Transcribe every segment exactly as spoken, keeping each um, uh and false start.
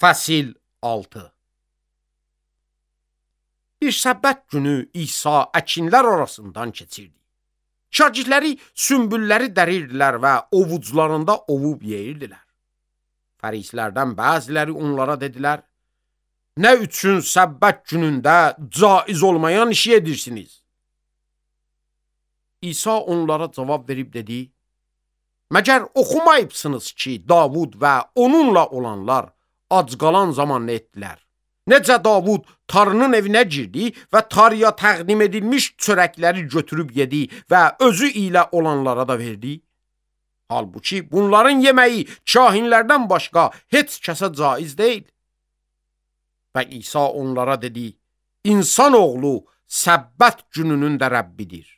Fəsil altı. Bir səbbət günü İsa əkinlər arasından keçirdi. Şagirdləri sümbülləri dərirdilər və ovuclarında ovub yeyirdilər. Fərislərdən bəziləri onlara dedilər, nə üçün səbbət günündə caiz olmayan işi edirsiniz? İsa onlara cavab verib dedi, məgər oxumayıbsınız ki, Davud və onunla olanlar ac qalan zaman nə etdilər? Necə Davud tarının evinə girdi və tarıya təqdim edilmiş çörəkləri götürüb yedi və özü ilə olanlara da verdi? Halbuki bunların yeməyi kahinlərdən başqa heç kəsə caiz deyil. Və İsa onlara dedi, İnsan oğlu səbbət gününün də Rəbbidir.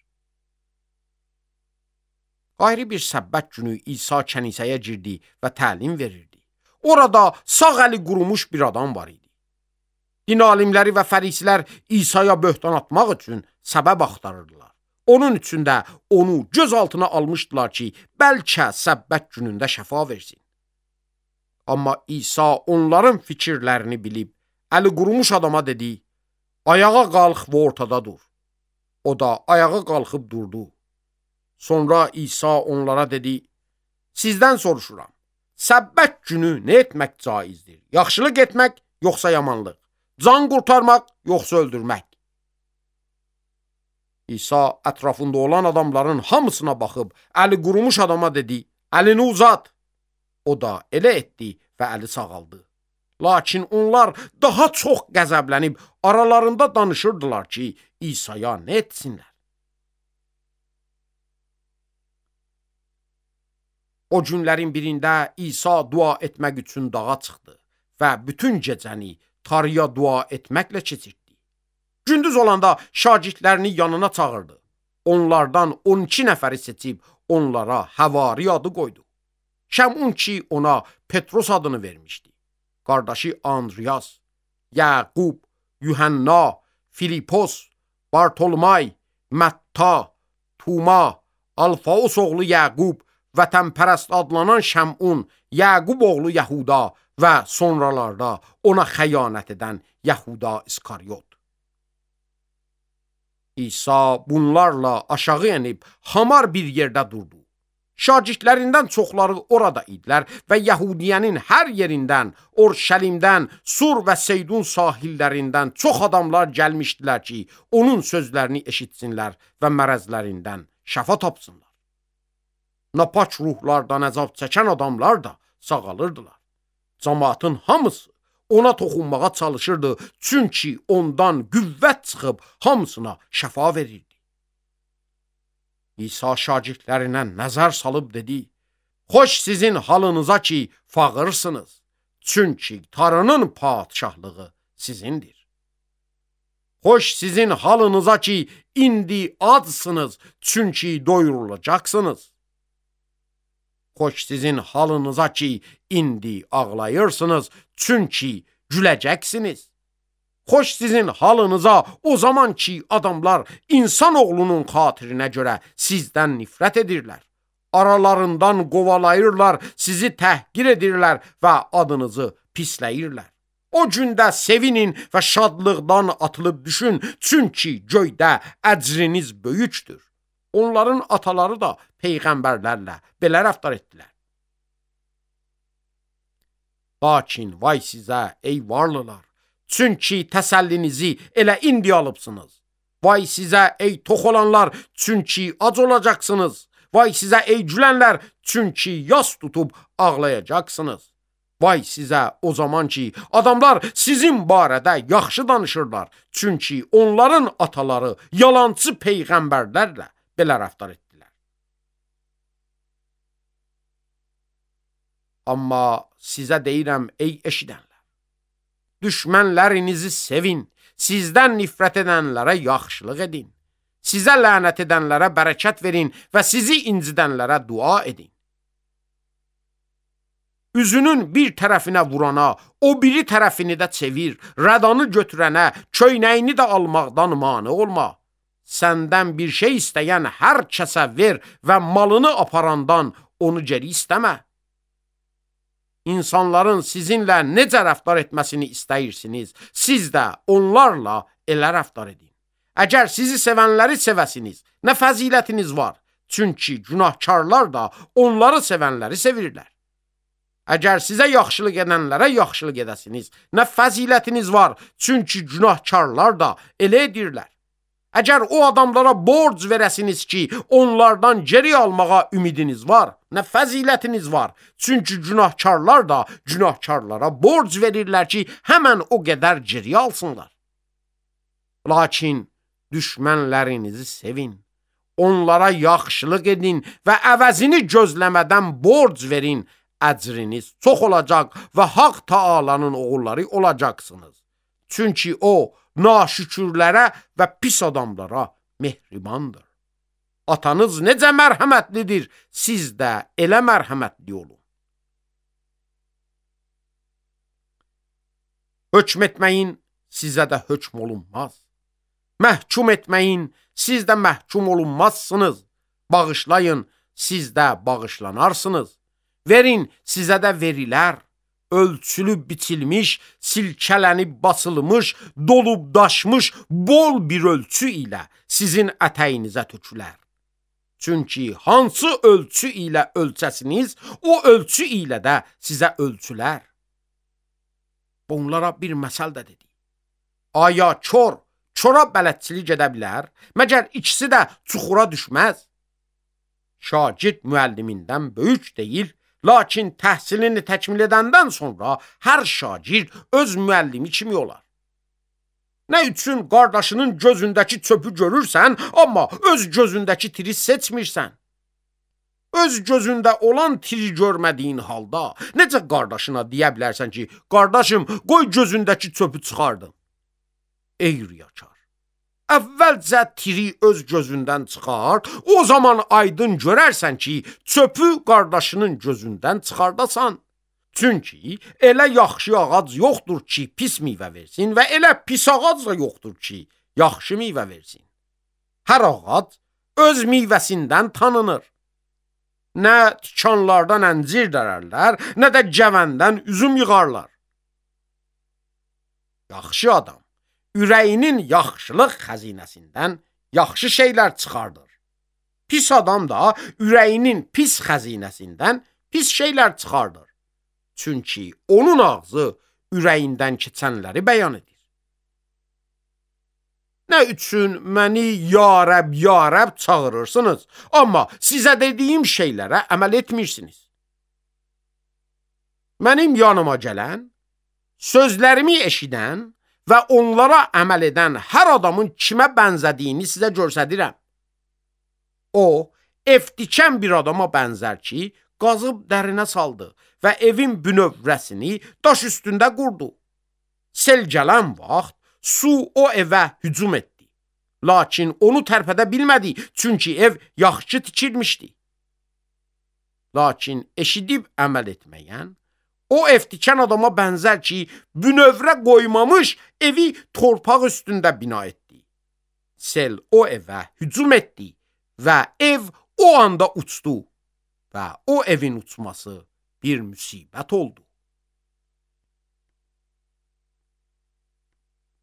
Ayrı bir səbbət günü İsa kənisəyə girdi və təlim verirdi. Orada sağ əli qurumuş bir adam var idi. Din alimləri və fərisilər İsa'ya böhtan atmaq üçün səbəb axtarırdılar. Onun üçün də onu göz altına almışdılar ki, bəlkə səbbət günündə şəfa versin. Amma İsa onların fikirlərini bilib, əli qurumuş adama dedi, ayağa qalx və ortada dur. O da ayağa qalxıb durdu. Sonra İsa onlara dedi, sizdən soruşuram, səbbət günü nə etmək caizdir? Yaxşılıq etmək, yoxsa yamanlıq? Can qurtarmaq, yoxsa öldürmək? İsa ətrafında olan adamların hamısına baxıb, əli qurumuş adama dedi, əlini uzat. O da elə etdi və əli sağaldı. Lakin onlar daha çox qəzəblənib, aralarında danışırdılar ki, İsa'ya nə etsinlər? O günlərin birində İsa dua etmək üçün dağa çıxdı və bütün gecəni tarıya dua etməklə keçirdi. Gündüz olanda şagirdlərini yanına çağırdı. Onlardan on iki nəfəri seçib onlara Həvari adı qoydu. Şəmun ki ona Petros adını vermişdi. Qardaşı Andriyas, Yaqub, Yuhanna, Filipos, Bartolomay, Mətta, Tuma, Alfaos oğlu Yaqub, vətənpərəst adlanan Şəmun, Yaqub oğlu Yahuda və sonralarda ona xəyanət edən Yahuda İskaryot. İsa bunlarla aşağı enib hamar bir yerdə durdu. Şagirdlərindən çoxları orada idilər və Yəhudiyənin hər yerindən, Orşəlimdən, Sur və Seydun sahillərindən çox adamlar gəlmişdilər ki, onun sözlərini eşitsinlər və mərəzlərindən şəfa tapsınlar. Napaç ruhlardan əzab çəkən adamlar da sağalırdılar. Cəmaatın hamısı ona toxunmağa çalışırdı, çünki ondan qüvvət çıxıb hamısına şəfa verirdi. İsa şagirdlərinə nəzər salıb dedi, xoş sizin halınıza ki, fağırsınız, çünki tarının padişahlığı sizindir. Xoş sizin halınıza ki, indi acsınız, çünki doyurulacaqsınız. Xoş sizin halınıza ki, indi ağlayırsınız, çünki güləcəksiniz. Xoş sizin halınıza o zaman ki, adamlar insanoğlunun xatirinə görə sizdən nifrət edirlər. Aralarından qovalayırlar, sizi təhqir edirlər və adınızı pisləyirlər. O gündə sevinin və şadlıqdan atılıb düşün, çünki göydə əcriniz böyükdür. Onların ataları da peyğəmbərlərlə belə rəftar etdilər. Lakin vay sizə, ey varlılar, çünki təsəllinizi elə indi alıbsınız. Vay sizə, ey tox olanlar, çünki ac olacaqsınız. Vay sizə, ey gülənlər, çünki yas tutub ağlayacaqsınız. Vay sizə o zaman ki, adamlar sizin barədə yaxşı danışırlar, çünki onların ataları yalancı peyğəmbərlərlə belə rəftar etdilər. Amma sizə deyirəm, ey eşidənlər, düşmənlərinizi sevin, sizdən nifrət edənlərə yaxşılıq edin, sizə lənət edənlərə bərəkət verin və sizi incidənlərə dua edin. Üzünün bir tərəfinə vurana, o biri tərəfini də çevir, rədanı götürənə, köynəyini də almaqdan mane olma. Səndən bir şey istəyən hər kəsə ver və malını aparandan onu geri istəmə. insanların sizinlə necə rəftar etməsini istəyirsiniz, siz də onlarla elə rəftar edin. Əgər sizi sevənləri sevəsiniz, nə fəzilətiniz var? Çünki günahkarlar da onları sevənləri sevirlər. Əgər sizə yaxşılıq edənlərə yaxşılıq edəsiniz, nə fəzilətiniz var? Çünki günahkarlar da elə edirlər. Əgər o adamlara borc verəsiniz ki, onlardan geri almağa ümidiniz var, nə fəzilətiniz var? Çünki günahkarlar da günahkarlara borc verirlər ki, həmən o qədər geri alsınlar. Lakin düşmənlərinizi sevin, onlara yaxşılıq edin və əvəzini gözləmədən borc verin, əcriniz çox olacaq və Haqq Taalanın oğulları olacaqsınız. Çünki o, naşükürlərə və pis adamlara mehribandır. Atanız necə mərhəmətlidir, siz də elə mərhəmətli olun. Hökm etməyin, sizə də hökm olunmaz. Məhkum etməyin, siz də məhkum olunmazsınız. Bağışlayın, siz də bağışlanarsınız. Verin, sizə də verilər. Ölçülüb biçilmiş, silkələnib basılmış, dolub daşmış bol bir ölçü ilə sizin ətəyinizə tökülər. Çünki hansı ölçü ilə ölçəsiniz, o ölçü ilə də sizə ölçülər. Bunlara bir məsəl də dedi. Aya kör, çora bələdçilik edə bilər, məgər ikisi də çuxura düşməz. Şagird müəllimindən böyük deyil, lakin təhsilini təkmil edəndən sonra hər şagird öz müəllimi kimi olar. Nə üçün qardaşının gözündəki çöpü görürsən, amma öz gözündəki tiri seçmirsən? Öz gözündə olan tiri görmədiyin halda necə qardaşına deyə bilərsən ki, qardaşım, qoy gözündəki çöpü çıxardım? Ey riyakar! Əvvəlcə tiri öz gözündən çıxar, o zaman aydın görərsən ki, çöpü qardaşının gözündən çıxardasan. Çünki elə yaxşı ağac yoxdur ki, pis meyvə versin və elə pis ağac da yoxdur ki, yaxşı meyvə versin. Hər ağac öz meyvəsindən tanınır. Nə tikanlardan əncir dərərlər, nə də gəvəndən üzüm yığarlar. Yaxşı adam ürəyinin yaxşılıq xəzinəsindən yaxşı şeylər çıxardır. Pis adam da ürəyinin pis xəzinəsindən pis şeylər çıxardır. Çünki onun ağzı ürəyindən keçənləri bəyan edir. Nə üçün məni ya Rəbb, ya Rəbb çağırırsınız, amma sizə dediyim şeylərə əməl etmirsiniz. Mənim yanıma gələn, sözlərimi eşidən və onlara əməl edən hər adamın kimə bənzədiyini sizə göstərirəm. O, ev tikən bir adama bənzər ki, qazıb dərinə saldı və evin bünövrəsini daş üstündə qurdu. Sel gələn vaxt su o evə hücum etdi. Lakin onu tərpədə bilmədi, çünki ev yaxşı tikilmişdi. Lakin eşidib əməl etməyən, o ev tikən adama bənzər ki, bünövrə qoymamış evi torpaq üstündə bina etdi. Sel o evə hücum etdi və ev o anda uçdu və o evin uçması bir müsibət oldu.